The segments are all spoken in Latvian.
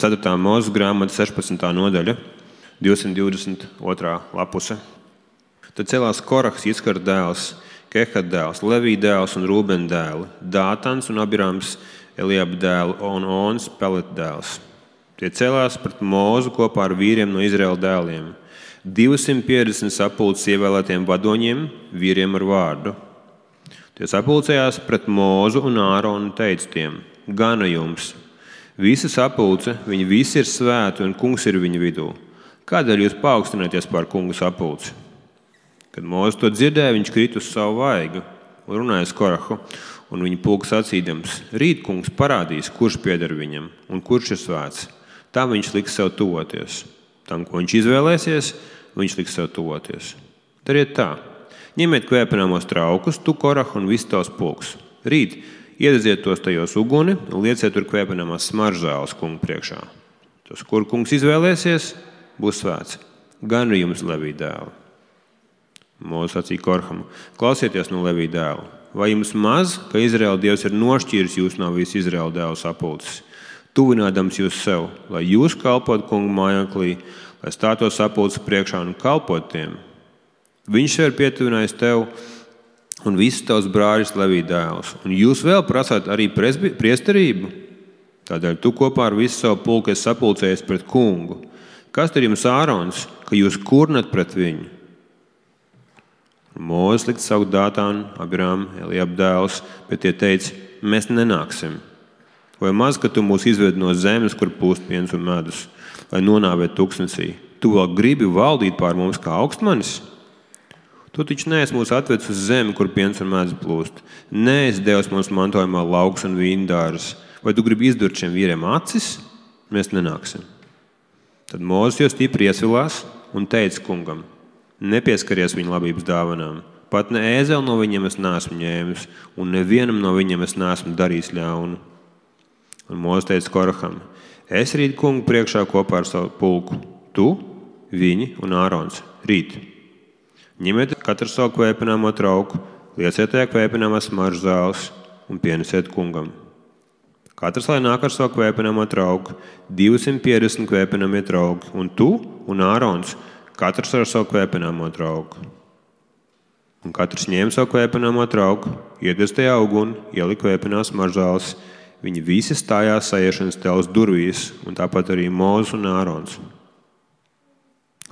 4. Mūzes grāmata 16. nodaļa, 222. lapuse. Tad celās Korahs, Iskara dēls, Kehat dēls, Levī dēls un Rūben dēli, Dātans un Abirams, Eliaba dēli un Ons, Peleta dēls. Tie celās pret Mūzu kopā ar vīriem no Izraēla dēliem, 250 sapulces ievēlētiem vadoņiem, vīriem ar vārdu. Tie sapulcējās pret Mūzu un Āronu un teica tiem: gana jums! Visa sapulce, viņi visi ir svēti un kungs ir viņu vidū. Kādēļ jūs paaugstināties pār kungu sapulci? Kad Mūzes to dzirdēja, viņš krita uz savu vaigu un runāja uz Korahu, un viņa pulka sacīdams: rīt kungs parādīs, kurš pieder viņam un kurš ir svēts. Tā viņš liks sev tuvoties. Tam, ko viņš izvēlēsies, viņš liks sev tuvoties. Dariet tā: ņemiet kvēpināmos traukus, tu Korahu un viss tavs pulks. Rīt iededziet tos tajos uguni un lieciet tur kvēpināmās smaržzāles kungu priekšā. Tas, kur kungs izvēlēsies, būs svēts. Gan jums, Levī dēli. Mūzes sacīja Koraham: klausieties no Levī dēla. Vai jums maz, ka Izraēla Dievs ir nošķīris jūs no visu Izraēla dēlu sapulces, tuvinādams jūs sev, lai jūs kalpot kungu mājoklī, lai stātos sapulces priekšā un kalpot tiem? Viņš sev ir pietuvinājis tev un visus tavus brāļus Levī dēlus, un jūs vēl prasāt arī priesterību? Tādēļ tu kopā ar visu savu pulku esi sapulcējies pret kungu. Kas tad jums Ārons, ka jūs kurnat pret viņu? Mūzes likt saukt Dātānu, Abiramu, Eliaba dēlus, bet tie teica: mēs nenāksim. Vai maz, ka tu mūs izved no zemes, kur pūst piens un medus, lai nonāvētu tūkstnesī? Tu vēl gribi valdīt pār mums kā augstmanis? Tu taču neesi mūs atvedis uz zemi, kur piens un medus plūst. Neesi devis mums mantojumā lauks un vīndārs. Vai tu gribi izdurt šiem vīriem acis? Mēs nenāksim. Tad Mūzes jau stipri iesvilās un teica kungam: nepieskaries viņa labības dāvanām. Pat ne ēzeli no viņiem es neesmu ņēmis, un nevienam no viņiem es neesmu darījis ļaunu. Un Mūzes teica Koraham: es rīt kungu priekšā kopā ar savu pulku. Tu, viņi un Ārons. Rīt. Ņemiet katru savu kvēpināmo trauku, lieciet tajā kvēpināmās smaržzāles un pienesiet kungam. Katrs lai nāk ar savu kvēpināmo trauku, 250 kvēpināmie trauki, un tu un Ārons, katrs ar savu kvēpināmo trauku. Un katrs ņēma savu kvēpināmo trauku, iedes tajā uguni, ielika kvēpinās smaržzāles. Viņi visi stājās saiešanas telpas durvīs, un tāpat arī Mūzes un Ārons.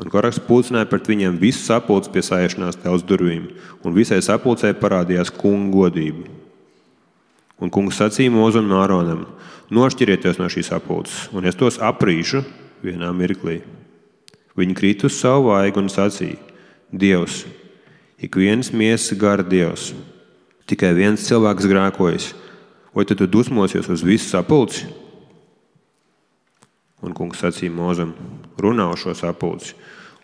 Un Korahs pulcināja pret viņiem visu sapulci pie saiešanās telpas durvīm, un visai sapulcei parādījās kunga godība. Un kungs sacīja Mūzum un Āronam: nošķirieties no šīs sapulces, un es tos aprīšu vienā mirklī. Viņi krita uz savu vaigu un sacīja: Dievs, ik viens miesas gara Dievs, tikai viens cilvēks grēkojas, vai tad tu dusmosies uz visu sapulci? Un kungs sacīja Mūzum: runā uz šo sapulci,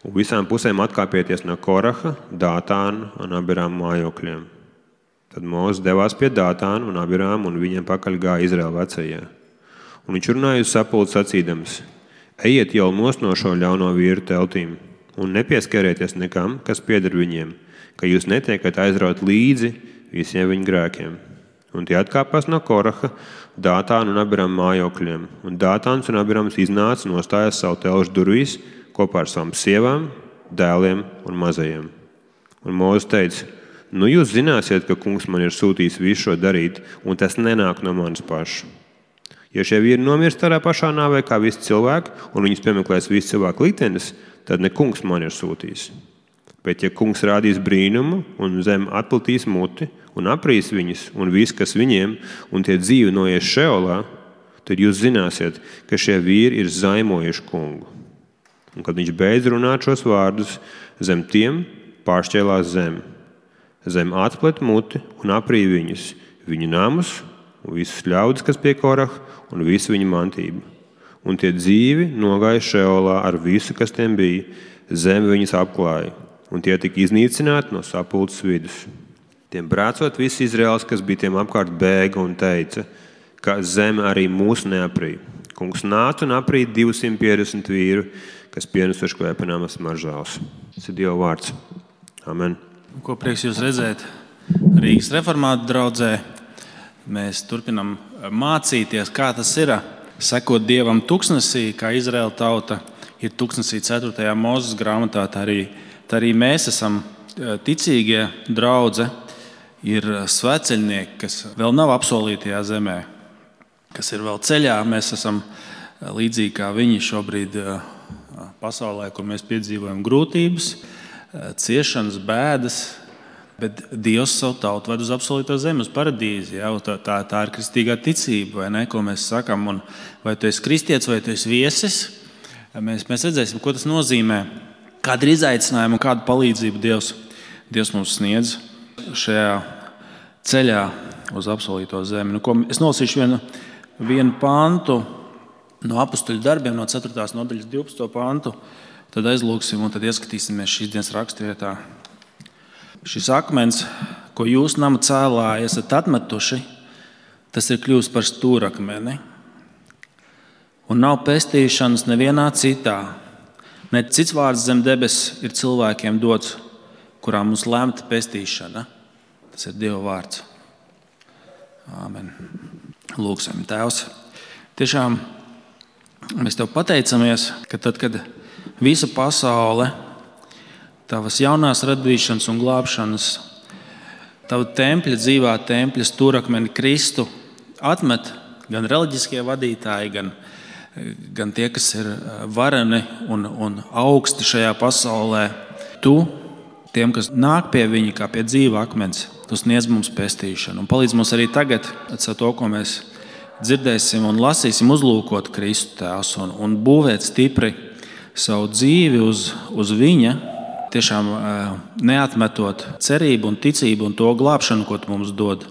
un visām pusēm atkāpieties no Koraha, Dātāna un Abirama mājokļiem. Tad Mūzes devās pie Dātāna un Abirama, un viņiem pakaļ gāja Izraēla vecajie. Un viņš runāja uz sapulci sacīdams: ejiet jau nost no šo ļauno vīru teltīm, un nepieskarieties nekam, kas pieder viņiem, ka jūs netiekat aizraut līdzi visiem viņu grēkiem. Un tie atkāpās no Koraha, Dātāna un Abirama mājokļiem, un Dātāns un Abirams iznāca nostājās savu telšu durvīs kopā ar savām sievām, dēliem un mazajiem. Un Mūzes teica: nu jūs zināsiet, ka kungs man ir sūtījis visu šo darīt, un tas nenāk no manis paša. Ja šie vīri nomirst tādā pašā nāvē kā visi cilvēki, un viņus piemeklēs visi cilvēku liktenis, tad ne kungs man ir sūtījis. Bet ja kungs rādīs brīnumu un zem atplatīs muti un aprīs viņus un viss, kas viņiem, un tie dzīvi noies Šeolā, tad jūs zināsiet, ka šie vīri ir zaimojuši kungu. Un kad viņš beidz runāt šos vārdus, zem tiem pāršķēlās zem. Zem atplet muti un aprī viņus, viņu namus un visus ļaudis, kas pie Koraha, un visu viņu mantību. Un tie dzīvi nogāja Šeolā ar visu, kas tiem bija, zem viņus apklāja, un tie tika iznīcināti no sapulces vidus. Tiem brēcot visi Izraēls, kas bija tiem apkārt, bēga un teica, ka zeme arī mūs neaprī. Kungs nāca un aprī 250 vīru, kas pienesuši kvēpināmas smaržzāles. Tas ir Dieva vārds. Amen. Ko prieks jūs redzēt Rīgas reformātu draudzē. Mēs turpinam mācīties, kā tas ir sekot Dievam tuksnesī, kā Izraēla tauta ir tuksnesī 4. Mūzes grāmatā, tā arī mēs esam ticīgie draudze, ir svētceļnieki, kas vēl nav apsolītajā zemē, kas ir vēl ceļā. Mēs esam līdzīgi kā viņi šobrīd pasaulē, kur mēs piedzīvojam grūtības, ciešanas, bēdas, bet Dievs savu tautu ved uz apsolīto zemi, uz paradīzi. Ja? Tā ir kristīgā ticība, vai ne, ko mēs sakam. Un vai tu esi kristietis, vai tu esi viesis, mēs redzēsim, ko tas nozīmē, kāda ir izaicinājuma un kādu palīdzību Dievs mums sniedz šajā ceļā uz apsolīto zemi. Es nolasīšu vienu pantu no Apostuļu darbiem, no 4. nodaļas 12. pantu, tad aizlūksim un tad ieskatīsimies šīs dienas raksturvietā. Šis akmens, ko jūs nama cēlāji esat atmetuši, tas ir kļuvis par stūrakmeni. Un nav pestīšanas nevienā citā. Ne cits vārds zem debes ir cilvēkiem dots, kurā mums lemta pestīšana. Tas ir Dieva vārds. Āmen. Lūksim, Tēvs. Tiešām mēs Tev pateicamies, ka tad, kad visa pasaule, Tavas jaunās radīšanas un glābšanas, Tava tempļa, dzīvā tempļa stūrakmeni Kristu atmet gan reliģiskie vadītāji, gan tie, kas ir vareni un augsti šajā pasaulē. Tu, tiem, kas nāk pie viņa kā pie dzīva akmens, Tu sniedz mums pestīšanu. Un palīdz mums arī tagad, ar to, ko mēs dzirdēsim un lasīsim, uzlūkot Kristu, Tēvs, un būvēt stipri savu dzīvi uz viņa, tiešām neatmetot cerību un ticību un to glābšanu, ko Tu mums dod,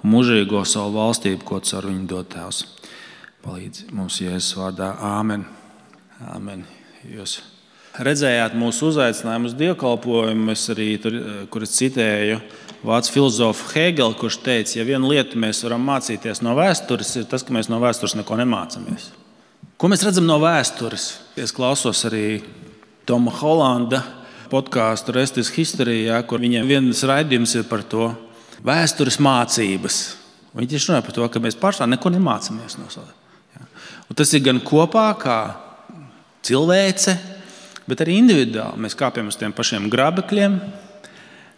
un mūžīgo savu valstību, ko Tu ar viņu dod, Tēvs. Palīdz mums Jēzus vārdā. Āmen. Āmen. Jūs redzējāt mūsu uzaicinājumu uz dievkalpojumu, es arī tur, kur es citēju vācu filozofu Hegelu, kurš teica, ja vienu lietu mēs varam mācīties no vēstures, ir tas, ka mēs no vēstures neko nemācāmies. Ko mēs redzam no vēstures? Es klausos arī Toma Holanda podkāstu Rest is History, kur viņiem viens raidījums ir par to vēstures mācības. Viņi tieši runā par to, ka mēs pašā neko nemācāmies no savas. Un tas ir gan kopā kā cilvēce, bet arī individuāli. Mēs kāpjam uz tiem pašiem grabekļiem,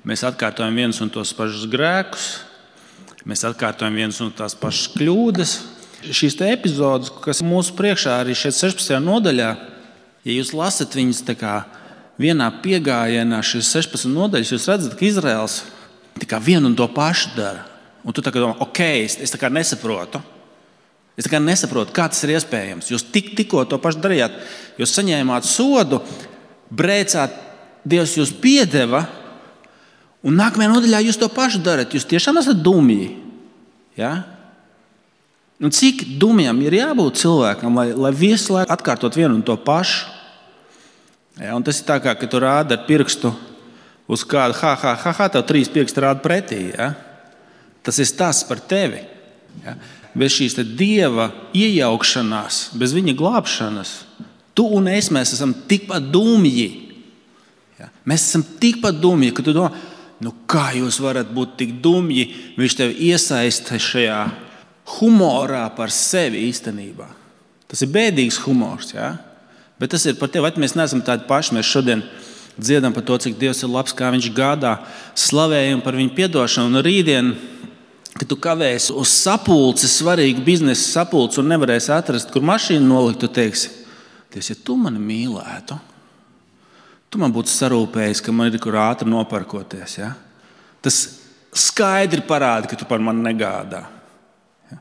mēs atkārtojam vienus un tos pašus grēkus, mēs atkārtojam vienus un tās pašas kļūdas. Šīs te epizodes, kas mūsu priekšā arī šeit 16. nodaļā, ja jūs lasat viņas tā kā vienā piegājienā, šīs 16 nodaļas, jūs redzat, ka Izraels tā kā vienu un to pašu dara. Un tu tā kā domā, es tā kā nesaprotu. Es tā kā nesaprotu, kā tas ir iespējams. Jūs tikko to pašu darījāt. Jūs saņēmāt sodu, brēcāt, Dievs jūs piedeva, un nākamajā nodaļā jūs to pašu darat. Jūs tiešām esat dumji. Ja? Un cik dumjam ir jābūt cilvēkam, lai visu laiku atkārtot vienu un to pašu? Ja, un tas ir tā kā, ka tu rādi ar pirkstu uz kādu, tev 3 pirksti rāda pretī. Ja? Tas ir stāsts par tevi. Ja? Bez šīs Dieva iejaukšanās, bez viņa glābšanas, tu un es, mēs esam tikpat dumji. Ja? Mēs esam tikpat dumji, ka tu domā, kā jūs varat būt tik dumji, viņš tevi iesaista šajā humorā par sevi īstenībā. Tas ir bēdīgs humors, ja? Bet tas ir par tevi, vai mēs neesam tādi paši. Mēs šodien dziedam par to, cik Dievs ir labs, kā viņš gādā, slavējam par viņu piedošanu. Un rītdien, kad tu kavēsi uz sapulci, svarīgu biznesa sapulci un nevarēsi atrast, kur mašīnu nolikt, tu teiksi, Dievs, ja tu mani mīlētu, tu man būtu sarūpējis, ka man ir kur ātri noparkoties. Ja? Tas skaidri parāda, ka tu par mani negādā. Ja?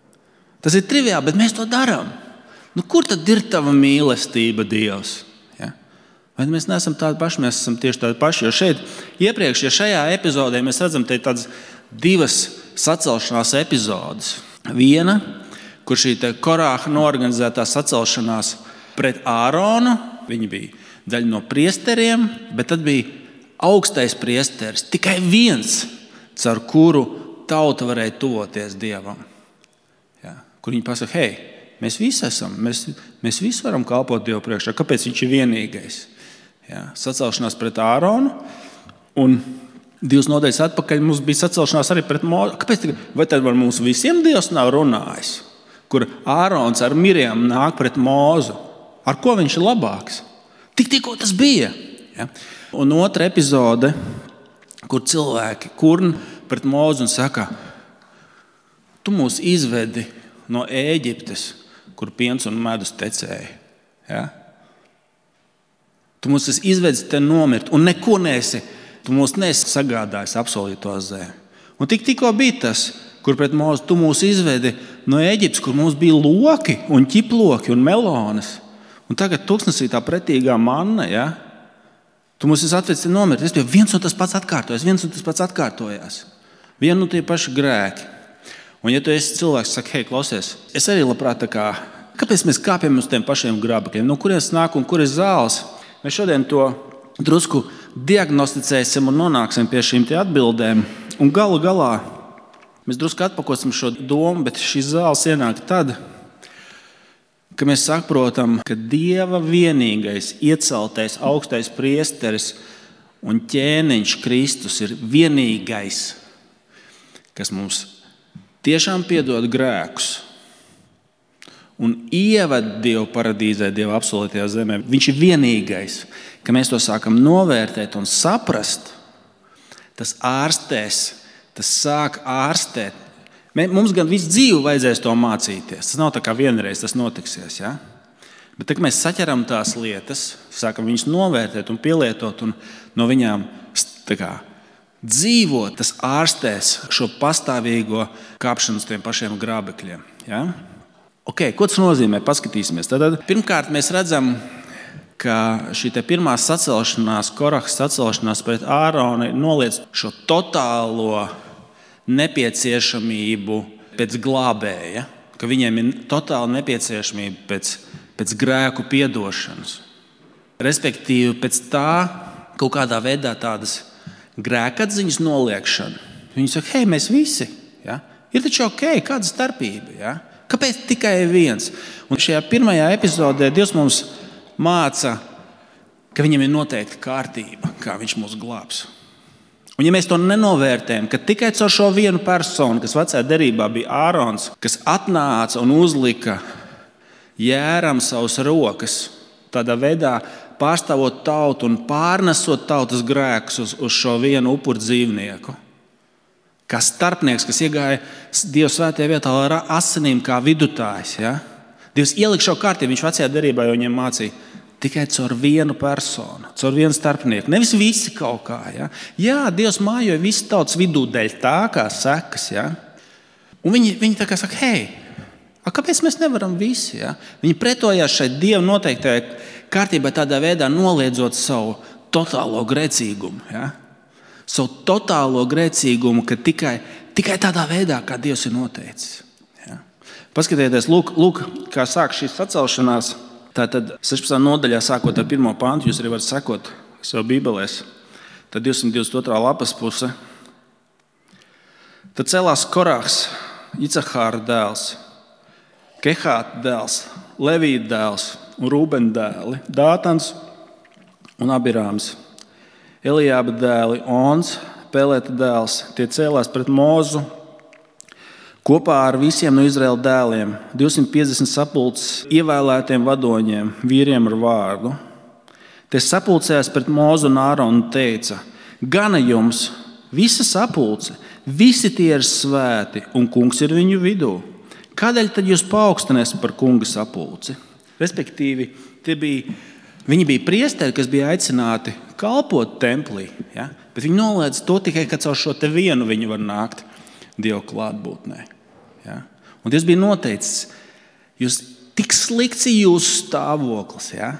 Tas ir triviāli, bet mēs to darām. Kur tad ir tava mīlestība, Dievs? Ja? Vai mēs neesam tādi paši? Mēs esam tieši tādi paši. Jo šeit iepriekš, šajā epizodē mēs redzam tādas 2 sacelšanās epizodes. Viena, kur šī Korāha noorganizētā sacelšanās pret Āronu, viņi bija daļa no priesteriem, bet tad bija augstais priesteris, tikai viens, caur kuru tauta varēja tuvoties Dievam. Ja? Kur viņi pasaka, hei, mēs visi esam, mēs visi varam kalpot Dievu priekšā. Kāpēc viņš ir vienīgais? Ja, sacelšanās pret Āronu, un 2 nodaļas atpakaļ mums bija sacelšanās arī pret Mūzu. Kāpēc? Vai tad ar mums visiem Dievs nav runājis? kur Ārons ar Mirjam nāk pret Mūzu. Ar ko viņš ir labāks? Tikko tas bija. Ja? Un otra epizode, kur cilvēki kurn pret Mūzu un saka, tu mūs izvedi no Ēģiptes, kur piens un medus tecēja. Ja? Tu mūs esi izvedis te nomirt un neko nesi. Tu mūs nesi sagādājis apsolīto zemi. Un tikko bija tas, kur pret Mūzu tu mūs izvedi no Ēģiptes, kur mums bija loki un ķiploki un melonas. Un tagad tuksnesī tā pretīgā manna, ja? Tu mūs esi atvedis te nomirt. Es biju viens un tas pats atkārtojās. Vien un tie paši grēki. Un ja tu esi cilvēks, saka, hei, klausies, es arī labprāt kāpēc mēs kāpjam uz tiem pašiem grābekļiem? No kurienes nāk un kur ir zāles? Mēs šodien to drusku diagnosticēsim un nonāksim pie šīm atbildēm. Un galu galā mēs drusku atpakosim šo domu, bet šīs zāles ienāk tad, ka mēs saprotam, ka Dieva vienīgais ieceltais augstais priesteris un ķēniņš Kristus ir vienīgais, kas mums tiešām piedod grēkus un ieved Dievu paradīzē, Dieva apsolītajā zemē. Viņš ir vienīgais, ka mēs to sākam novērtēt un saprast, tas ārstēs, tas sāk ārstēt. Mums gan visu dzīvi vajadzēs to mācīties. Tas nav tā kā vienreiz tas notiksies. Ja? Bet tad mēs saķeram tās lietas, sākam viņus novērtēt un pielietot un no viņām dzīvot, tas ārstēs šo pastāvīgo kāpšanu uz tiem pašiem grābekļiem. Ja? Okay, ko tas nozīmē? Paskatīsimies. Tad, pirmkārt, mēs redzam, ka šī pirmā sacelšanās, Korahas sacelšanās pret Āronu noliec šo totālo nepieciešamību pēc glābēja, ka viņiem ir totāla nepieciešamība pēc grēku piedošanas. Respektīvi, pēc tā kaut kādā veidā tādas grēkatziņas noliekšana. Viņi saka, hei, mēs visi, ja? Ir taču ok, kāda starpība, ja? Kāpēc tikai viens? Un šajā pirmajā epizodē Dievs mums māca, ka viņam ir noteikta kārtība, kā viņš mūs glābs. Un ja mēs to nenovērtējam, ka tikai caur šo vienu personu, kas vecajā derībā bija Ārons, kas atnāca un uzlika Jēram savas rokas, tādā veidā pārstāvot tautu un pārnesot tautas grēkus uz šo vienu upuru dzīvnieku. Kā starpnieks, kas iegāja Dieva svētajā vietā ar asinīm kā vidutājs. Ja? Dievs ielika šo kārtību, viņš vecajā derībā jau viņiem mācīja tikai caur vienu personu, caur vienu starpnieku. Nevis visi kaut kā. Ja? Jā, Dievs mājoja visu tautas vidū dēļ tā kā sekas. Ja? Un viņi tā kā saka, hei, kāpēc mēs nevaram visi? Ja? Viņi pretojās šai Dieva noteiktajai kārtībai tādā veidā noliedzot savu totālo grēcīgumu. Ja? Savu totālo grēcīgumu, ka tikai tādā veidā, kā Dievs ir noteicis. Ja? Paskatieties, lūk, kā sāk šīs sacelšanās. Tātad 16. nodaļā, sākot ar 1. pantu, jūs arī varat sekot sev bībelēs. Tad 222. lapas puse. Tad celās Korahs, Icahāra dēls, Kehāta dēls, Levīta dēls un Rūbena dēli, Dātans un Abirāms, Elijāba dēli, Ons, Peleta dēls. Tie cēlās pret Mūzu kopā ar visiem no Izraēla dēliem, 250 sapulces ievēlētiem vadoņiem, vīriem ar vārdu. Tie sapulcējās pret Mūzu un Āronu un teica, gana jums, visa sapulce, visi tie ir svēti un kungs ir viņu vidū. Kādēļ tad jūs paaugstināsiet par kunga sapulci? Respektīvi, viņi bija priesteri, kas bija aicināti kalpot templī, ja? Bet viņi noliedz to tikai, ka caur šo te vienu viņi var nākt Dieva klātbūtnē. Ja? Un Dievs bija noteicis, jūs tik slikts ir jūsu stāvoklis, ja?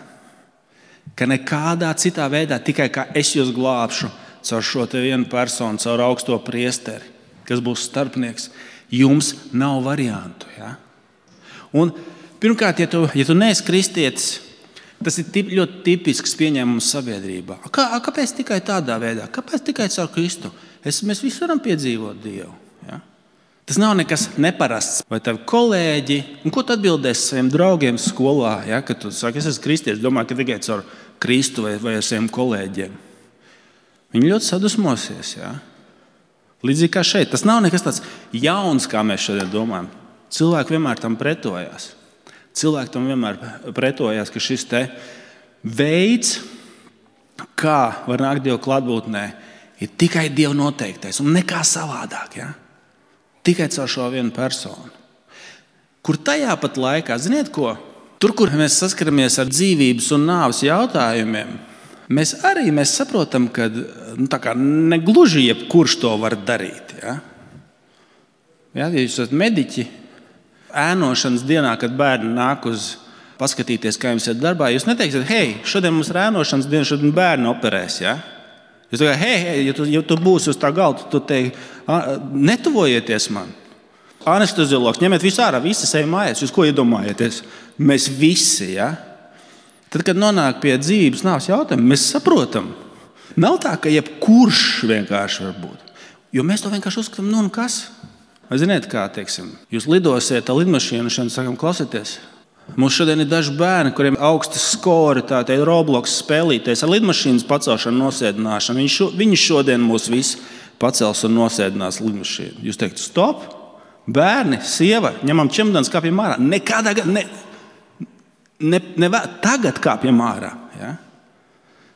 Ka nekādā citā veidā, tikai kā es jūs glābšu caur šo te vienu personu, caur augsto priesteri, kas būs starpnieks, jums nav variantu. Ja? Un pirmkārt, ja tu neesi kristietis, tas ir ļoti tipisks pieņēmums sabiedrībā. Kāpēc tikai tādā veidā? Kāpēc tikai caur Kristu? Mēs visi varam piedzīvot Dievu. Ja? Tas nav nekas neparasts. Vai tavi kolēģi, un ko tu atbildēsi saviem draugiem skolā, ja? Kad tu saki, es esmu kristietis, domāju, ka tikai caur Kristu vai ar saviem kolēģiem. Viņi ļoti sadusmosies. Ja? Līdzīgi kā šeit. Tas nav nekas tāds jauns, kā mēs šodien domājam. Cilvēki vienmēr tam pretojās. Cilvēki tam vienmēr pretojās, ka šis te veids, kā var nākt Dieva klātbūtnē, ir tikai Dieva noteiktais un nekā savādāk. Ja? Tikai caur šo vienu personu. Kur tajā pat laikā, ziniet ko? Tur, kur mēs saskaramies ar dzīvības un nāves jautājumiem, mēs saprotam, ka negluži jebkurš to var darīt. Ja? Ja jūs esat mediķi, ēnošanas dienā, kad bērni nāk uz paskatīties, kā jums ir darbā, jūs neteiksiet, hei, šodien mums ir ēnošanas diena, šodien bērni operēs. Ja? Jūs teikāt, hei, ja tu būsi uz tā galda, tu teiksi, netuvojieties man. Anesteziologs, ņemiet visu ārā, visi ejam mājās. Jūs ko iedomājaties? Mēs visi, ja? Tad, kad nonāk pie dzīvības nāves jautājumu, mēs saprotam. Nav tā, ka jebkurš vienkārši var būt. Jo mēs to vienkārši uzskatām, nu un kas? Vai ziniet kā, teiksim, jūs lidosiet ar lidmašīnu un sakam, klausieties, mums šodien ir daži bērni, kuriem augsti skori, tā Roblox spēlīties ar lidmašīnas pacelšanu, nosēdināšanu. Viņi šodien mūs visi pacels un nosēdinās lidmašīnu. Jūs teikt, stop! Bērni, sieva, ņemam čemodānus, kāpjam ārā. Nekādā tagad kāpjam ārā. Ja?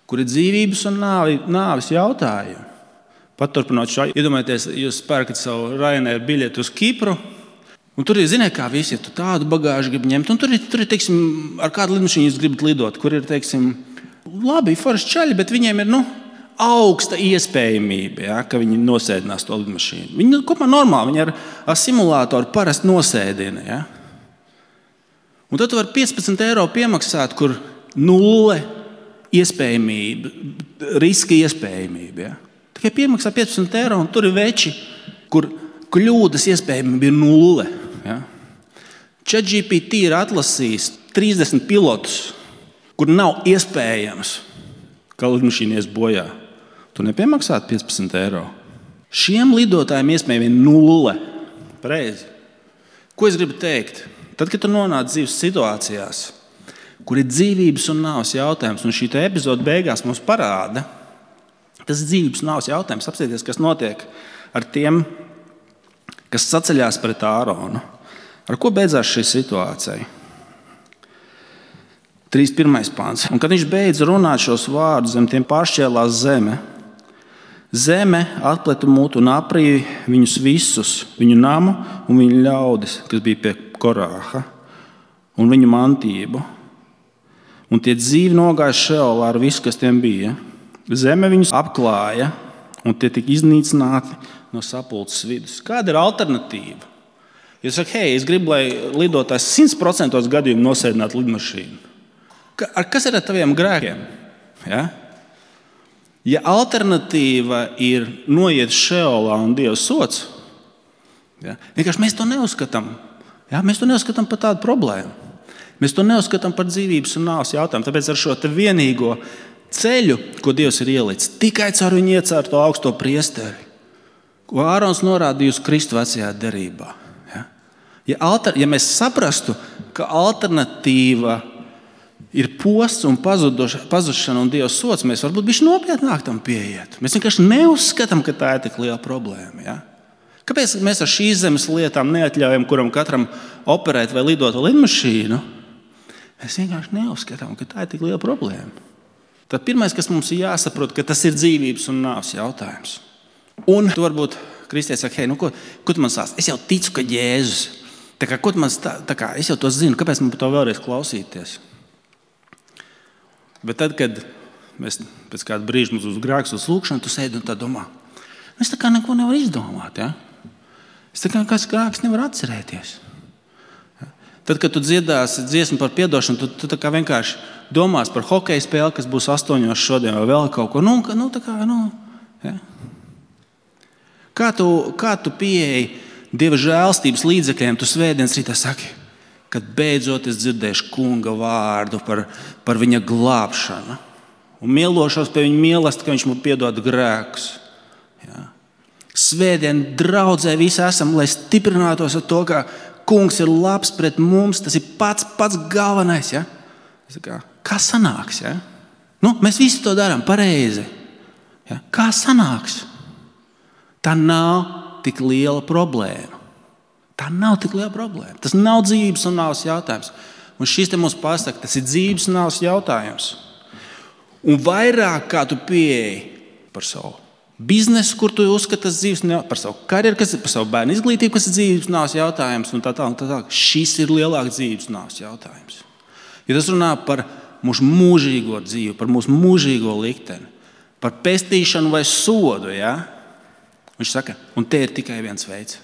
Kur ir dzīvības un nāves jautājumi. Paturpinot šo, iedomājieties, jūs pērkat savu Ryanair biļeti uz Kipru, un tur ir, ziniet, kā visi, ja tu tādu bagāžu grib ņemt, un tur ir teiksim, ar kādu lidmašīnu jūs gribat lidot, kur ir, teiksim, labi, forši čaļi, bet viņiem ir, augsta iespējamība, ja, ka viņi nosēdinās to lidmašīnu. Viņi kopumā normāli, viņi ar simulātoru parasti nosēdina. Ja. Un tad tu vari 15 eiro piemaksāt, kur nulle iespējamība, riska iespējamība. Ja. Tikai piemaksā 15 eiro, un tur ir veči, kur kļūdas iespējamība ir nulle. Ja. ChatGPT ir atlasījis 30 pilotus, kur nav iespējams, ka lidmašīna ies bojā. Tu nepiemaksātu 15 eiro. Šiem lidotājiem iespējami ir nulle. Pareizi. Ko es gribu teikt? Tad, kad tu nonāc dzīves situācijās, kur ir dzīvības un nāves jautājums, un šī epizode beigās mums parāda, tas ir dzīvības un nāves jautājums. Apsieties, kas notiek ar tiem, kas saceļās pret Āronu. Ar ko beidzās šī situācija? 3.1. pāns. Un kad viņš beidz runāt šos vārdus, zem tiem pāršķēlās zeme. Zeme atpleta mutu un aprīja viņus visus, viņu namu un viņu ļaudis, kas bija pie Korāha, un viņu mantību. Un tie dzīvi nogāja Šeolā ar visu, kas tiem bija. Zeme viņus apklāja, un tie tika iznīcināti no sapulces vidus. Kāda ir alternatīva? Jūs sakat, hei, es gribu, lai lidotājs 100% gadījumu nosēdinātu lidmašīnu. Kas ir ar taviem grēkiem? Ja? Ja alternatīva ir noiet Šeolā un Dieva sots, ja? Vienkārši mēs to neuzskatām. Ja? Mēs to neuzskatām par tādu problēmu. Mēs to neuzskatām par dzīvības un nāves jautājumu. Tāpēc ar šo vienīgo ceļu, ko Dievs ir ielicis, tikai caur viņu iecērto augsto priesteri, ko Ārons norādīja uz Kristu vecajā derībā. Ja? Ja mēs saprastu, ka alternatīva ir posts un pazušana un Dieva sots, mēs varbūt bišķi nopietnāk tam pieiet. Mēs vienkārši neuzskatām, ka tā ir tik liela problēma. Ja? Kāpēc mēs ar šīs zemes lietām neatļaujam kuram katram operēt vai lidot ar lidmašīnu? Mēs vienkārši neuzskatām, ka tā ir tik liela problēma. Tad pirmais, kas mums ir jāsaprot, ka tas ir dzīvības un nāves jautājums. Un tu varbūt kristietis saka, hei, ko tu man stāsti? Es jau ticu, ka Jēzus. Es jau to zinu, kāpēc man par to vēlreiz klausīties? Bet tad, kad mēs pēc kāda brīža mums uz grēks uz lūkšanu, tu sēdi un tā domā, es tā kā neko nevaru izdomāt. Ja? Es tā kā kāds grēks nevaru atcerēties. Ja? Tad, kad tu dziedāsi dziesmu par piedošanu, tu tā kā vienkārši domās par hokeja spēli, kas būs 8 šodien vai vēl kaut ko. Ja? Kā tu pieeji Dieva žēlstības līdzekļiem, tu svētdienas rītā saki, kad beidzot es dzirdēšu kunga vārdu par viņa glābšanu un mielošos pie viņa mīlestību, ka viņš man piedod grēkus. Ja. Svētdien draudzē visi esam, lai stiprinātos ar to, ka kungs ir labs pret mums, tas ir pats galvenais. Ja. Kā sanāks? Ja? Mēs visi to darām pareizi. Ja. Kā sanāks? Tā nav tik liela problēma. Tā nav tik liela problēma. Tas nav dzīves un nāves jautājums. Un šis te mums pasaka, tas ir dzīves un nāves jautājums. Un vairāk kā tu pieeji par savu biznesu, kur tu uzskati tas dzīves, par savu karjeru, par savu bērnu izglītību, kas ir dzīves un nāves jautājums, un tā tālāk. Šis ir lielāks dzīves un nāves jautājums. Ja tas runā par mūsu mūžīgo dzīvi, par mūsu mūžīgo likteni, par pestīšanu vai sodu, ja? Viņš saka, un te ir tikai viens veids.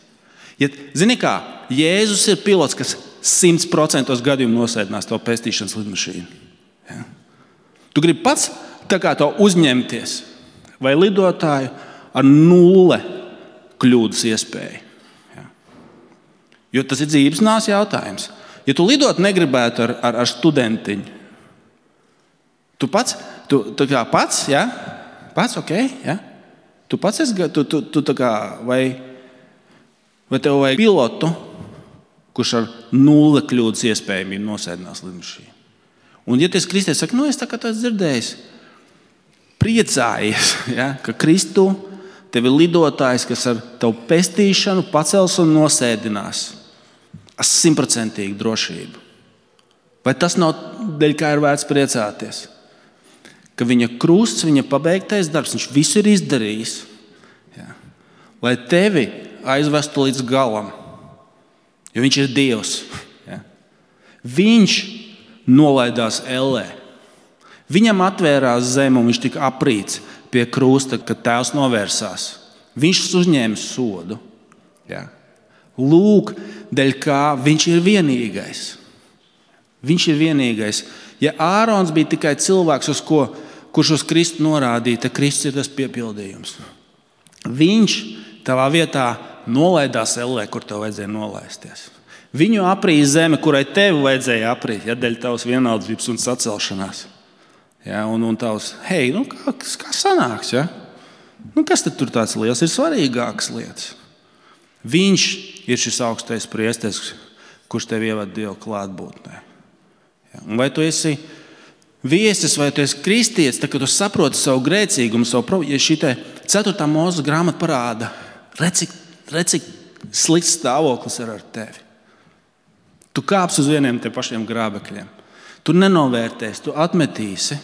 Ja, zini kā, Jēzus ir pilots, kas 100% gadījumu nosēdinās to pestīšanas lidmašīnu. Ja? Tu gribi pats tā kā to uzņemties, vai lidotāju ar 0 kļūdas iespēju. Ja? Jo tas ir dzīves nāves jautājums. Ja tu lidot negribētu ar studentiņu, tu pats, ja? Pats, ok, ja? Tu pats esi, tu tā kā, vai tev vajag pilotu, kurš ar 0 kļūdas iespējamību nosēdinās lidmašīnu. Un ja tu esi kristietis, saka, es tā kā tu esi dzirdējis, priecājies, ja, ka Kristu tev ir lidotājs, kas ar tavu pestīšanu pacels un nosēdinās ar 100% drošību. Vai tas nav dēļ, kā ir vērts priecāties? Ka viņa krusts, viņa pabeigtais darbs, viņš visu ir izdarījis, ja, lai tevi aizvestu līdz galam, jo viņš ir Dievs. Ja. Viņš nolaidās ellē. Viņam atvērās zeme un viņš tika aprīts pie krusta, kad tēvs novērsās. Viņš uzņēma sodu. Ja. Lūk, dēļ kā viņš ir vienīgais. Viņš ir vienīgais. Ja Ārons bija tikai cilvēks, kurš uz Kristu norādīja, tad Kristus ir tas piepildījums. Viņš tavā vietā nolaidās ellē, kur tev vajadzēja nolaisties. Viņu aprīja zeme, kurai tev vajadzēja aprīt, ja dēļ tavas vienaldzības un sacelšanās. Ja, un tavs, hei, kā sanāks? Ja? Kas tad tur tāds liels? Ir svarīgākas lietas. Viņš ir šis augstais priesteris, kurš tev ievada Dieva klātbūtnē. Ja? Un vai tu esi viesis, vai tu esi kristietis, tad, kad tu saproti savu grēcīgumu, ja šī 4. Mūzes grāmata parāda, redz, cik slikts stāvoklis ir ar tevi. Tu kāps uz vieniem te pašiem grābekļiem. Tu nenovērtēsi, tu atmetīsi.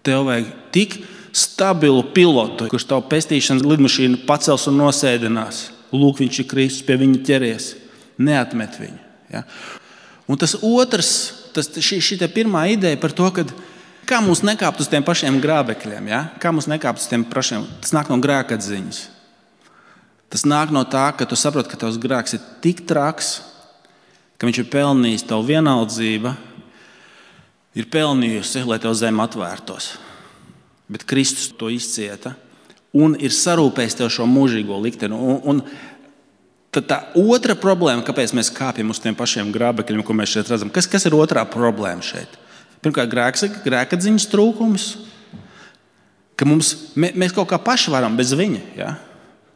Tev vajag tik stabilu pilotu, kurš tavu pestīšanas lidmašīnu pacels un nosēdinās. Lūk, viņš ir Kristus, pie viņa ķeries. Neatmet viņu. Ja? Un tas otrs, šī pirmā ideja par to, kā mums nekāpt uz tiem pašiem grābekļiem. Ja? Kā mums nekāpt uz tiem pašiem, tas nāk no grēkatziņas. Tas nāk no tā, ka tu saproti, ka tavs grēks ir tik traks, ka viņš ir pelnījis tavu vienaldzību, ir pelnījusi, lai tev zeme atvērtos. Bet Kristus to izcieta un ir sarūpējis tev šo mūžīgo likteni. Un tad tā otra problēma, kāpēc mēs kāpjam uz tiem pašiem grābekļiem, ko mēs šeit redzam, kas ir otrā problēma šeit? Pirmkārt, grēkatziņas trūkums, ka mēs kaut kā paši varam bez viņa. Ja?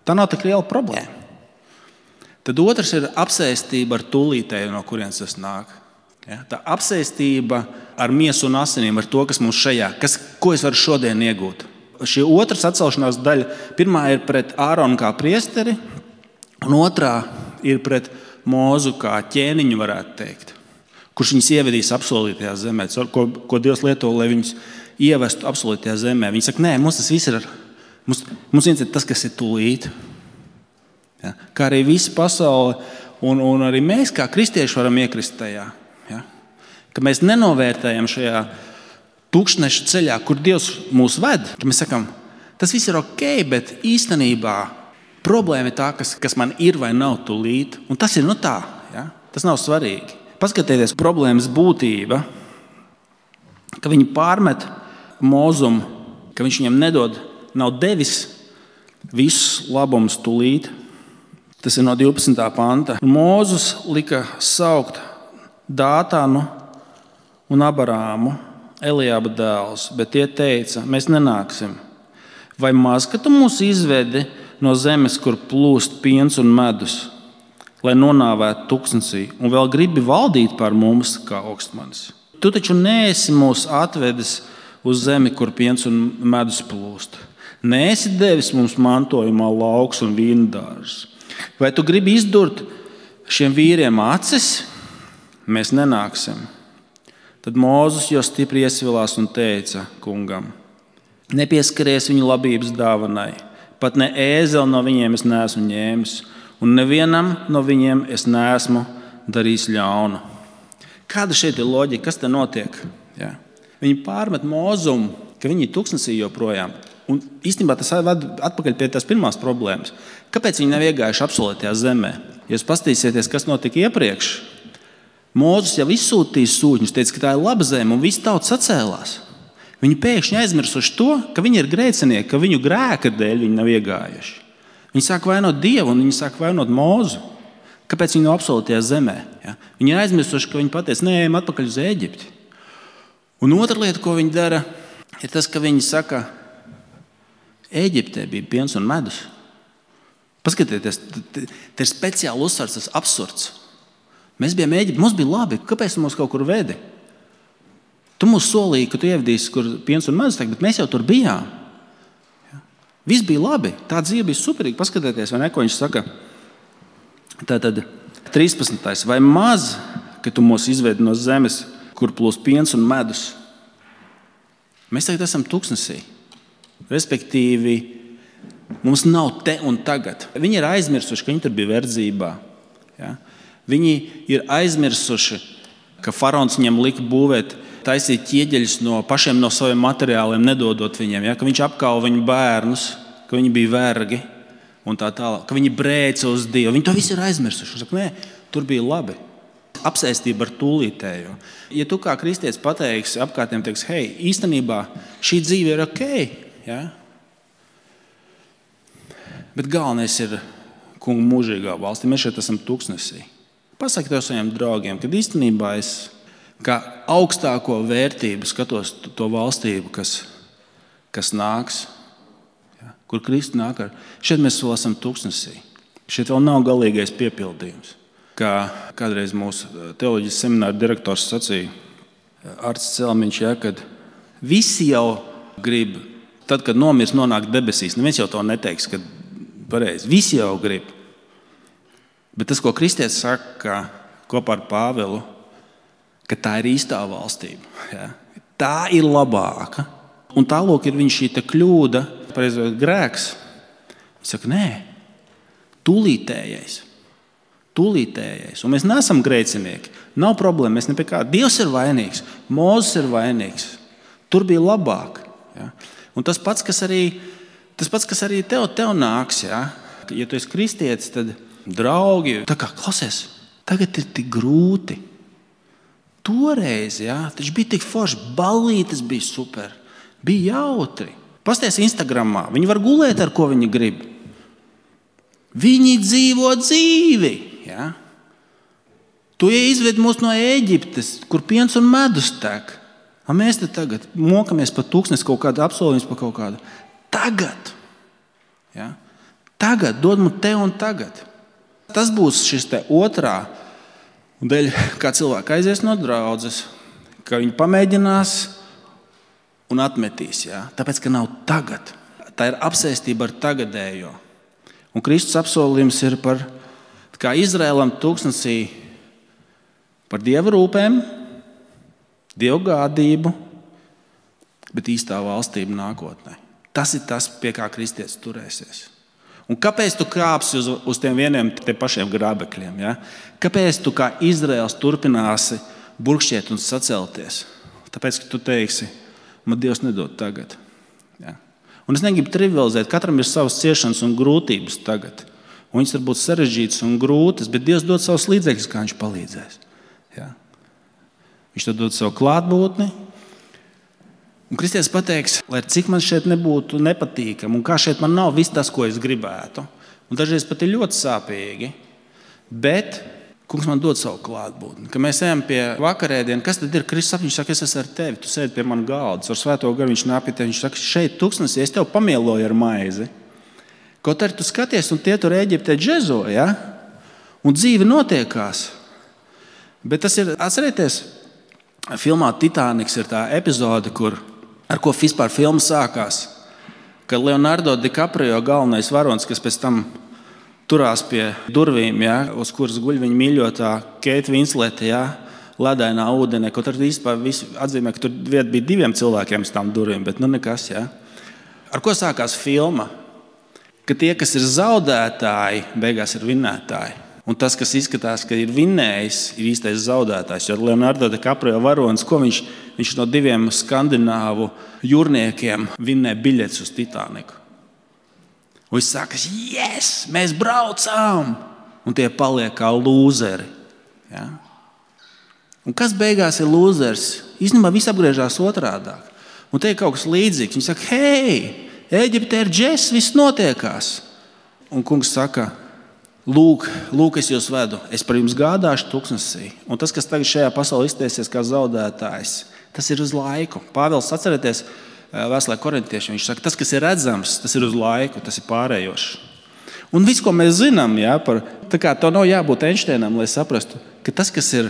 Tā nav tik liela problēma. Tad otrs ir apsēstība ar tūlītēju, no kurienes tas nāk. Ja? Tā apsēstība ar miesu un asinīm, ar to, kas mums šajā, ko es varu šodien iegūt. Šī otras atcelšanās daļa, pirmā ir pret Āronu kā priesteri, un otrā ir pret Mūzu kā ķēniņu, varētu teikt, kurš viņus ievedīs apsolītajā zemē, ko Dievs lieto, lai viņus ievestu apsolītajā zemē. Viņi saka, nē, mums tas viss ir, mums viens ir tas, kas ir tūlīt. Ja? Kā arī visa pasaule, un arī mēs kā kristieši varam iekrist tajā. Ja? Ka mēs nenovērtējam šajā tūkstneša ceļā, kur Dievs mūs ved. Ka mēs sakam, tas viss ir ok, bet īstenībā problēma ir tā, kas man ir vai nav tūlīt. Un tas ir tā. Ja? Tas nav svarīgi. Paskatieties, problēmas būtība, ka viņi pārmet Mūzum, ka viņš viņam nav devis visus labumus tūlīt. Tas ir no 12. panta. Mūzus lika saukt Dātānu un Abarāmu, Eliaba dēls, bet tie teica, mēs nenāksim. Vai maz, ka tu mūs izvedi no zemes, kur plūst piens un medus, lai nonāvētu tuksnesī, un vēl gribi valdīt pār mums kā augstmanis? Tu taču neesi mūs atvedis uz zemi, kur piens un medus plūst. Neesi devis mums mantojumā lauks un vīndārs. Vai tu gribi izdurt šiem vīriem acis, mēs nenāksim. Tad Mūzes jau stipri iesvilās un teica kungam: nepieskaries viņu labības dāvanai, pat ne ēzeli no viņiem es neesmu ņēmis, un nevienam no viņiem es neesmu darījis ļaunu. Kāda šeit ir loģika? Kas te notiek? Ja? Viņi pārmet Mūzumu, ka viņi ir tuksnesī joprojām. Un īstenībā tas ved atpakaļ pie tās pirmās problēmas. Kāpēc viņi nav iegājuši apsolītajā zemē? Ja jūs paskatīsieties, kas notika iepriekš, Mūzes jau izsūtīja sūtņus, teica, ka tā ir laba zeme, un visi tauta sacēlās. Viņi pēkšņi aizmirsuši to, ka viņi ir grēcinieki, ka viņu grēka dēļ viņi nav iegājuši. Viņi sāk vainot Dievu un viņi sāk vainot Mūzu. Kāpēc viņi nav apsolītajā zemē? Ja? Viņi ir aizmirsuši, ka viņi pateica, neejam atpakaļ uz Ēģipti. Un otra lieta, ko viņi dara, ir tas, ka viņi saka, Ēģiptē bija piens un medus. Paskatieties, te ir speciāli uzsvars, tas absurds. Mēs bijām Ēģiptē, mums bija labi, kāpēc tu mūs kaut kur vedi? Tu mums solīji, ka tu ievadīsi, kur piens un medus, bet mēs jau tur bijām. Ja? Viss bija labi, tā dzīve bija superīga. Paskatieties, vai ne, ko viņš saka. Tātad 13. Vai maz, ka tu mūs izvedi no zemes, kur plūst piens un medus? Mēs tagad esam tuksnesī. Respektīvi, mums nav te un tagad. Viņi ir aizmirsuši, ka viņi tur bija verdzībā. Ja? Viņi ir aizmirsuši, ka faraons viņam lika būvēt, taisīt ķieģeļus no pašiem no saviem materiāliem, nedodot viņiem. Ja? Ka viņš apkauva viņu bērnus, ka viņi bija vergi un tā tālāk. Ka viņi brēca uz Dievu. Viņi to visu ir aizmirsuši. Viņi saka, nē, tur bija labi. Apsēstība ar tūlītējo. Ja tu kā kristietis pateiksi apkārtiem, teiks, hei, īstenībā šī dzīve ir ok, ja? Bet galvenais ir kungu mūžīgā valstī. Mēs šeit esam tuksnesī. Pasaki tev saviem draugiem, kad īstenībā es kā augstāko vērtību skatos to valstību, kas nāks, ja? Kur Kristus nāk ar. Šeit mēs vēl esam tuksnesī. Šeit vēl nav galīgais piepildījums. Kā kādreiz mūsu teoloģijas semināra direktors sacīja, Arts Celmiņš, ja, kad visi jau grib, tad, kad nomirs, nonākt debesīs. Neviens jau to neteiks, ka pareizi. Visi jau grib. Bet tas, ko kristietis saka kopā ar Pāvelu, ka tā ir īstā valstība. Ja? Tā ir labāka. Un tālūk ir viņa šī kļūda, pareizot grēks. Viņš saka, nē, tūlītējais. Un mēs neesam grēcinieki. Nav problēma, mēs ne pie kā. Dievs ir vainīgs, Mūzes ir vainīgs. Tur bija labāk. Ja? Un tas pats, kas arī tev nāks. Ja? Ja tu esi kristietis, tad draugi, tā kā klausies, tagad ir tik grūti. Toreiz, ja, taču bija tik forši, ballītes bija super, bija jautri. Pasties Instagramā, viņi var gulēt, ar ko viņi grib. Viņi dzīvo dzīvi. Ja? Tu izved mūs no Ēģiptes, kur piens un medus tek. Mēs te tagad mokamies pa tūkstnes kaut kādu apsolījumus, pa kaut kādu. Tagad. Ja? Tagad, dod mums te un tagad. Tas būs šis te otrā. Un dēļ, kā cilvēki aizies no draudzes, ka viņi pamēģinās un atmetīs. Ja? Tāpēc, ka nav tagad. Tā ir apsēstība ar tagadējo. Un Kristus apsolījums ir par, kā Izraēlam tūkstnesī, par Dieva rūpēm, Dieva gādību, bet īstā valstība nākotnē. Tas ir tas, pie kā kristietis turēsies. Un kāpēc tu kāpsi uz tiem vieniem te pašiem grābekļiem? Ja? Kāpēc tu kā Izraēls turpināsi burkšķiet un sacelties? Tāpēc, ka tu teiksi, man Dievs nedod tagad. Ja? Un es negribu trivializēt, katram ir savas ciešanas un grūtības tagad. Un viņas var būt sarežģītas un grūtas, bet Dievs dod savus līdzekļus, kā viņš palīdzēs. Ja? Viņš dod savu klātbūtni. Un kristietis pateiks, lai cik man šeit nebūtu nepatīkami, un kā šeit man nav viss tas, ko es gribētu. Un dažreiz pat ir ļoti sāpīgi, bet kungs man dod savu klātbūtni. Kad mēs ejam pie vakarēdiena, kas tad ir? Kristus viņš saka, es esmu ar tevi, tu sēdi pie man galda, ar svēto garu viņš nāk pie tevi, viņš saka, šeit tūkstnesī, es tev pamieloju ar maizi. Kaut arī tu skaties, un tie tur Ēģiptē džezo, ja? Un dzīve notiekās. Bet tas ir, atcerieties, filmā Titaniks ir tā epizode, ar ko vispār filma sākās. Kad Leonardo DiCaprio, galvenais varonis, kas pēc tam turās pie durvīm, ja, uz kuras guļ viņa mīļotā Keita Vinslete, ja, ledainā ūdenī, kaut arī īstenībā visi atzīmē, ka tur vieta bija 2 cilvēkiem uz tām durvīm, bet nekas. Ja. Ar ko sākās filma? Ka tie, kas ir zaudētāji, beigās ir vinnētāji. Un tas, kas izskatās, ka ir vinnējis, ir īstais zaudētājs. Jo Leonardo DiCaprio varonis, ko viņš no 2 skandināvu jūrniekiem vinnē biļetes uz Titaniku. Un viņš saka, yes, mēs braucām! Un tie paliek kā lūzeri. Ja? Un kas beigās ir lūzers? Īstenībā viss apgriežās otrādāk. Un te ir kaut kas līdzīgs. Viņi saka, hei, Ēģiptē ir džess, viss notiekās. Un kungs saka, Lūk, es jūs vedu, es par jums gādāšu tuksnesī. Un tas, kas tagad šajā pasaulē izteiksies kā zaudētājs, tas ir uz laiku. Pāvils, atcerieties, vēstulē korintiešiem, viņš saka, tas, kas ir redzams, tas ir uz laiku, tas ir pārējošs. Un viss, ko mēs zinām, ja, tā kā tev nav jābūt Einšteinam, lai saprastu, ka tas, kas ir,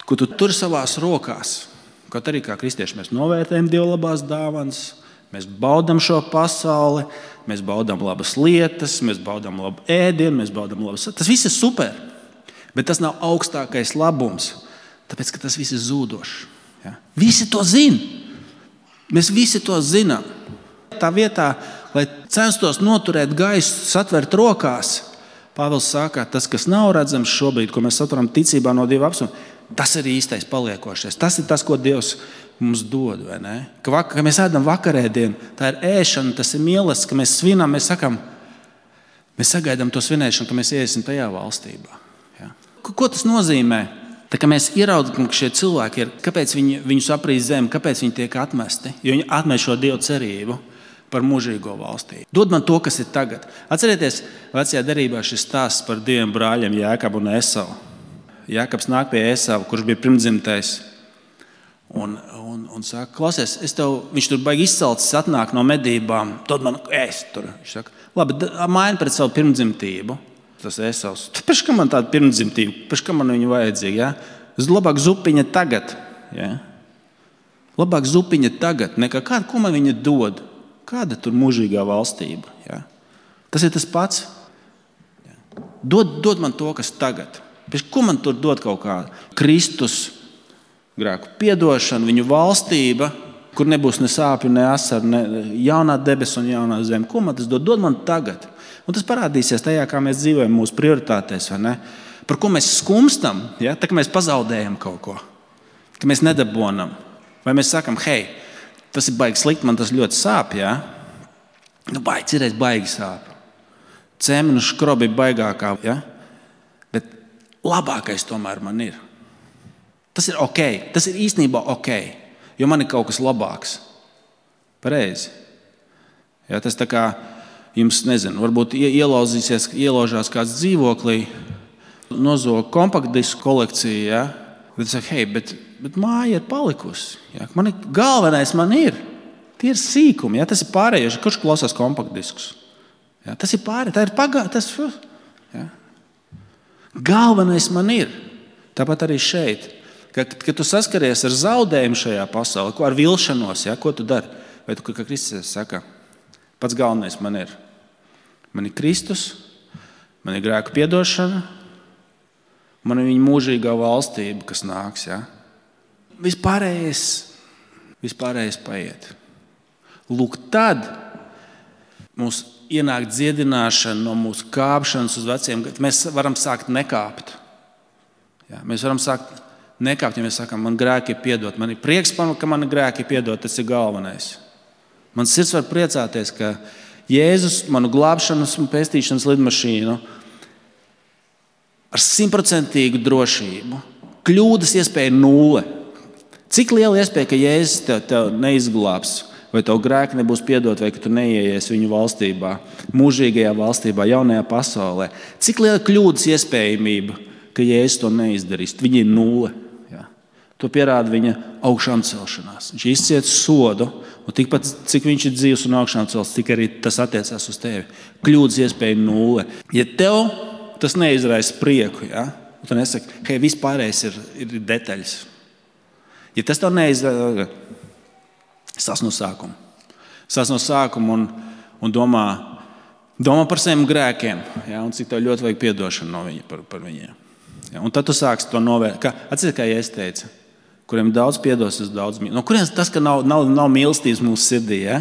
ko tu tur savās rokās, kaut arī kā kristieši mēs novērtējam Dieva labās dāvanas, mēs baudām šo pasauli, mēs baudām labas lietas, mēs baudām labu ēdienu, mēs baudām labas. Tas viss ir super, bet tas nav augstākais labums, tāpēc, ka tas viss ir zūdošs. Ja? Visi to zina. Mēs visi to zinām. Tā vietā, lai censtos noturēt gaisu, satvert rokās, Pāvils saka, tas, kas nav redzams šobrīd, ko mēs saturam ticībā no Dieva apsolījuma, tas ir īstais paliekošais. Tas ir tas, ko Dievs mums dod, vai ne? Ka mēs ēdam vakarēdienu, tā ir ēšana, tas ir mīlestības, ka mēs svinam, mēs sakam, mēs sagaidām to svinēšanu, ka mēs iesim tajā valstībā. Ja? Ko tas nozīmē? Tā kā mēs ieraudzām, ka šie cilvēki ir, kāpēc viņus aprīs zemi, kāpēc viņi tiek atmesti, jo viņi atmet šo Dievu cerību par mūžīgo valstību. Dod man to, kas ir tagad. Atcerieties, vecajā derībā šis stāsts par 2 brāļiem, Jēkabu un Esavu. Jēkabs nāk pie Esavu, kurš bija pirmdzimtais. Un saka, klausies, viņš tur baigi izcelts, atnāk no medībām, dod man ēst tur. Viņš saka, labi, maini pret savu pirmdzimtību. Tas Esavs, pēc kā man tāda pirmdzimtība, pēc kā man viņu vajadzīga, ja? Labāk zupiņa tagad, ja? Labāk zupiņa tagad, nekā kāda, ko man viņa dod. Kāda tur mūžīgā valstība, ja? Tas ir tas pats. Ja? Dod man to, kas tagad. Pēc ko man tur dod kaut kāda? Kristus grēku piedošana, viņu valstība, kur nebūs ne sāpju, ne asaru, ne jaunā debesis un jaunā zeme. Ko man tas dod? Dod man tagad. Un tas parādīsies tajā, kā mēs dzīvojam mūsu prioritātēs, vai ne? Par ko mēs skumstam, ja? Tā, ka mēs pazaudējam kaut ko, ka mēs nedabonam. Vai mēs sakam, hei, tas ir baigi slikti, man tas ļoti sāp, ja? Nu, cirēs baigi sāp. Cēmenu škrobi baigākā, ja? Bet labākais tomēr man ir. Tas ir ok, tas ir īstenībā ok, jo man ir kaut kas labāks. Pareizi. Ja, tas tā kā jums, nezinu, varbūt ielaužās kāds dzīvoklī, nozog kompaktdisku kolekciju, ja? Bet saka, hei, bet māja ir palikusi. Ja? Galvenais man ir. Tie ir sīkumi, ja? Tas ir pārējoši. Kurš klausās kompaktdiskus? Ja? Tas ir pārējais, tā ir pagātnes. Ja? Galvenais man ir. Tāpat arī šeit. Kad tu saskaries ar zaudējumu šajā pasaulē, ar vilšanos, ja? Ko tu dari? Vai tu, kā Kristus saka, pats galvenais man ir. Man ir Kristus, man ir grēku piedošana, man ir viņa mūžīgā valstība, kas nāks. Ja? Vispārējais paiet. Lūk, tad mums ienāk dziedināšana no mūsu kāpšanas uz veciem gadiem. Mēs varam sākt nekāpt. Ja? Mēs varam sākt nekāpt, ja mēs sakām, man grēki ir piedot. Man ir prieks, ka man grēki ir piedot, tas ir galvenais. Man sirds var priecāties, ka Jēzus manu glābšanas un pestīšanas lidmašīnu ar 100% drošību. Kļūdas iespēja 0. Cik liela iespēja, ka Jēzus tev neizglābs, vai tev grēki nebūs piedot, vai ka tu neieies viņu valstībā, mūžīgajā valstībā, jaunajā pasaulē. Cik liela kļūdas iespējamība, ka Jēzus to neizdarīs. Viņa ir 0. Ja? To pierāda viņa augšām celšanās. Viņš izciet sodu, un tikpat, cik viņš ir dzīvs un augšām celts, tik arī tas attiecās uz tevi. Kļūdas iespēja 0. Ja tev tas neizraisa prieku, ja? Tu nesaki, hei, vispārējais ir detaļas. Ja tas tev neizraisa, sāc no sākuma. Sāc no sākuma un domā, Domā par saviem grēkiem, ja, un cik tev ļoti vajag piedošanu par viņiem. Ja, un tad tu sāksi to novērtēt. Atceries, kā es teicu, kuriem daudz piedos, tas daudz mīl. No kurienes tas, ka nav mīlestības mūsu sirdī? Ja?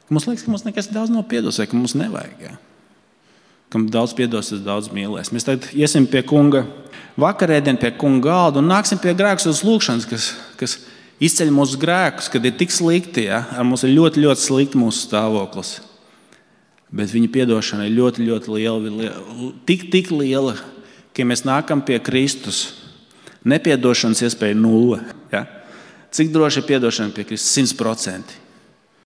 Mums liekas, ka mums nekas daudz nav piedos, vai ka mums nevajag. Ja? Kam daudz piedos, tas daudz mīlēs. Mēs tagad iesim pie kunga vakarēdien, pie kunga galda un nāksim pie grēkus lūkšanas, kas izceļ mūsu grēkus, kad ir tik slikti. Ja? Ar mums ir ļoti, ļoti slikti mūsu stāvoklis. Bet viņa piedošana ir ļoti, ļoti liela. Tik liela, ka mēs nākam pie Kristus. Nepiedošanas iespēja 0. Ja? Cik droši ir piedošana pie Kristus? 100%.